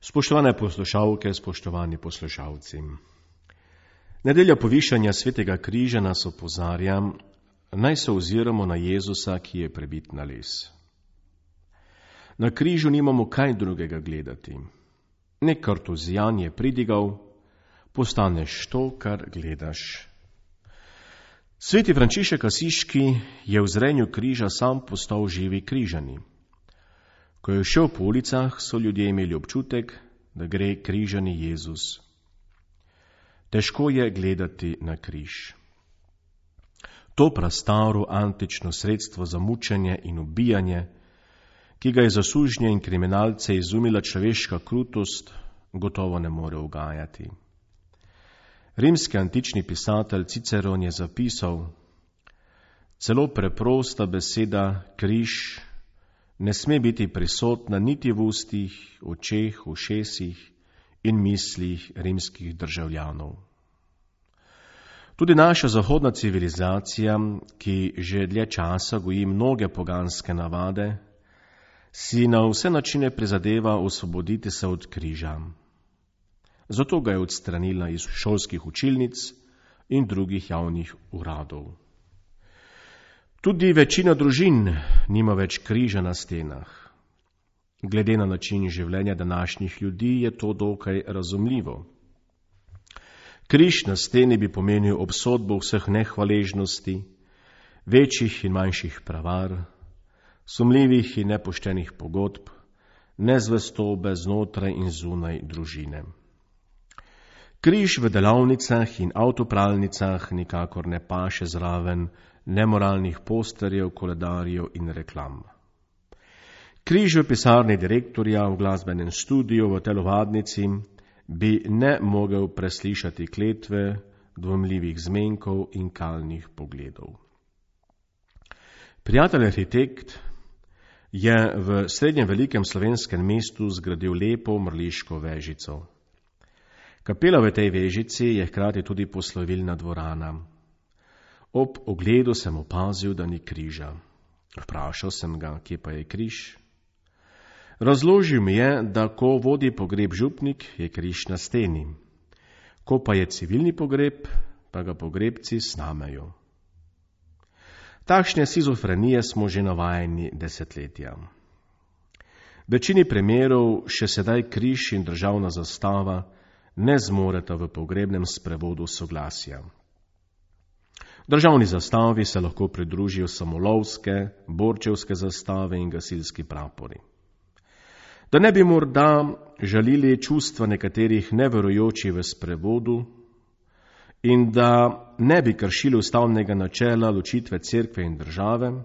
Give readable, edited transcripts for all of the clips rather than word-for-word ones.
Spoštovane poslušalke, spoštovani poslušalci. Nedelja povišanja svetega križa nas opozarja, naj se oziramo na Jezusa, ki je prebit na les. Na križu nimamo kaj drugega gledati. Nek kartuzijan je pridigal, postaneš to, kar gledaš. Sveti Frančišek Asiški je v zrenju križa sam postal živi križani. Ko je šel po ulicah, so ljudje imeli občutek, da gre križani Jezus. Težko je gledati na križ. To prastaro antično sredstvo za mučenje in ubijanje, ki ga je za sužnje in kriminalce izumila človeška krutost, gotovo ne more ugajati. Rimski antični pisatelj Ciceron je zapisal: celo preprosta beseda križ ne sme biti prisotna niti v ustih, očeh, ušesih in mislih rimskih državljanov. Tudi naša zahodna civilizacija, ki že dlje časa goji mnoge poganske navade, si na vse načine prizadeva osvoboditi se od križa. Zato ga je odstranila iz šolskih učilnic in drugih javnih uradov. Tudi večina družin nima več križa na stenah. Glede na način življenja današnjih ljudi je to dokaj razumljivo. Križ na steni bi pomenil obsodbo vseh nehvaležnosti, večjih in manjših prevar, sumljivih in nepoštenih pogodb, nezvestobe znotraj in zunaj družine. Križ v delavnicah in avtopralnicah nikakor ne paše zraven nemoralnih posterjev, koledarjev in reklam. Križ v pisarni direktorja, v glasbenem studiu, v telovadnici bi ne mogel preslišati kletve, dvomljivih zmenkov in kalnih pogledov. Prijatelj arhitekt je v srednjem velikem slovenskem mestu zgradil lepo mrliško vežico. Kapela v tej vežici je hkrati tudi poslovilna dvorana. Ob ogledu sem opazil, da ni križa. Vprašal sem ga, kje pa je križ. Razložil mi je, da ko vodi pogreb župnik, je križ na steni. Ko pa je civilni pogreb, pa ga pogrebci snamejo. Takšne šizofrenije smo že navajeni desetletja. V večini primerov še sedaj križ in državna zastava ne zmoreta v pogrebnem sprevodu soglasja. Državni zastavi se lahko pridružijo samolovske, borčevske zastave in gasilski prapori. Da ne bi morda žalili čustva nekaterih neverujočih v sprevodu in da ne bi kršili ustavnega načela ločitve cerkve in države,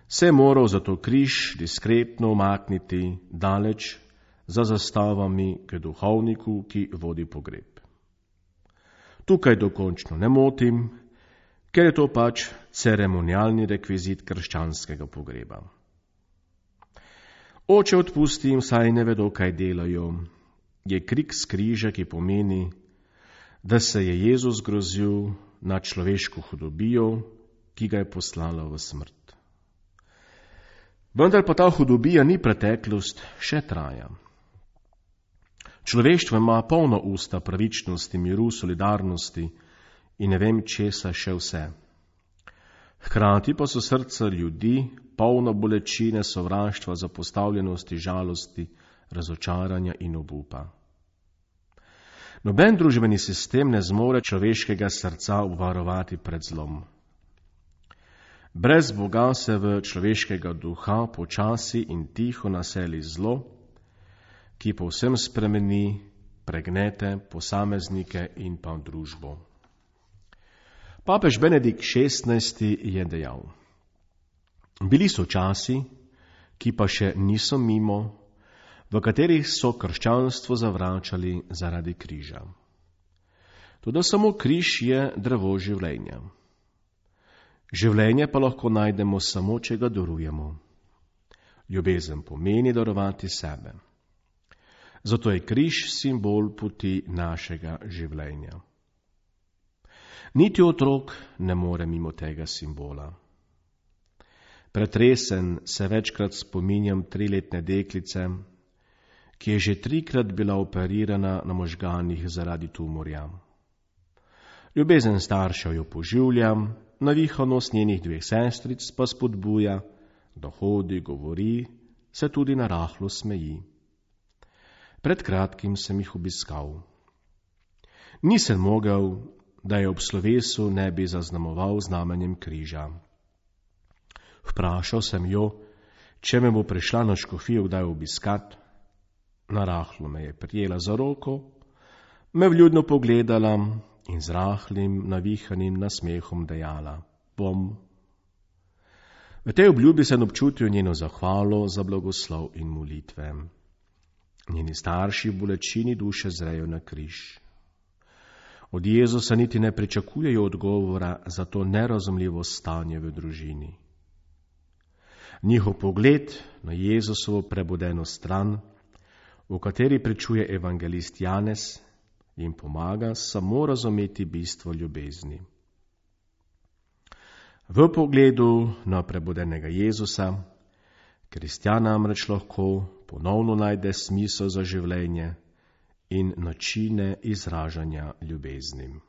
se je moral zato križ diskretno umakniti daleč za zastavami k duhovniku, ki vodi pogreb. Tukaj dokončno ne motim, ker je to pač ceremonialni rekvizit krščanskega pogreba. Oče, odpusti jim, saj ne vedo, kaj delajo, je krik s križa, ki pomeni, da se je Jezus grozil nad človeško hudobijo, ki ga je poslala v smrt. Vendar pa ta hudobija ni preteklost, še traja. Človeštvo ima polna usta pravičnosti, miru, solidarnosti in ne vem česa še vse. Hkrati pa so srca ljudi polna bolečine, sovraštva, zapostavljenosti, žalosti, razočaranja in obupa. Noben družbeni sistem ne zmore človeškega srca obvarovati pred zlom. Brez Boga se v človeškega duha počasi in tiho naseli zlo, ki povsem spremeni, pregnete posameznike in pa družbo. Papež Benedikt XVI je dejal: bili so časi, ki pa še niso mimo, v katerih so krščanstvo zavračali zaradi križa. Toda samo križ je drevo življenja. Življenje pa lahko najdemo samo, če ga darujemo. Ljubezen pomeni darovati sebe. Zato je križ simbol poti našega življenja. Niti otrok ne more mimo tega simbola. Pretresen se večkrat spominjam 3-letne deklice, ki je že 3-krat bila operirana na možganih zaradi tumorja. Ljubezen staršev jo poživlja, navihanost njenih 2 sestric pa spodbuja, da hodi, govori, se tudi narahlo smeji. Pred kratkim sem jih obiskal. Nisem mogel, da je ob slovesu ne bi zaznamoval znamenjem križa. Vprašal sem jo, če me bo prišla na škofijo kdaj obiskat. Narahlo me je prijela za roko, me vljudno pogledala in z rahlim, navihanim nasmehom dejala: bom. V tej obljubi sem občutil njeno zahvalo za blagoslov in molitve. Njeni starši v bolečini duše zrejo na križ. Od Jezusa niti ne pričakujejo odgovora za to nerazumljivo stanje v družini. Njihov pogled na Jezusovo prebudeno stran, v kateri pričuje evangelist Janez, jim pomaga samo razumeti bistvo ljubezni. V pogledu na prebudenega Jezusa kristjan namreč lahko ponovno najde smisel za življenje in načine izražanja ljubezni.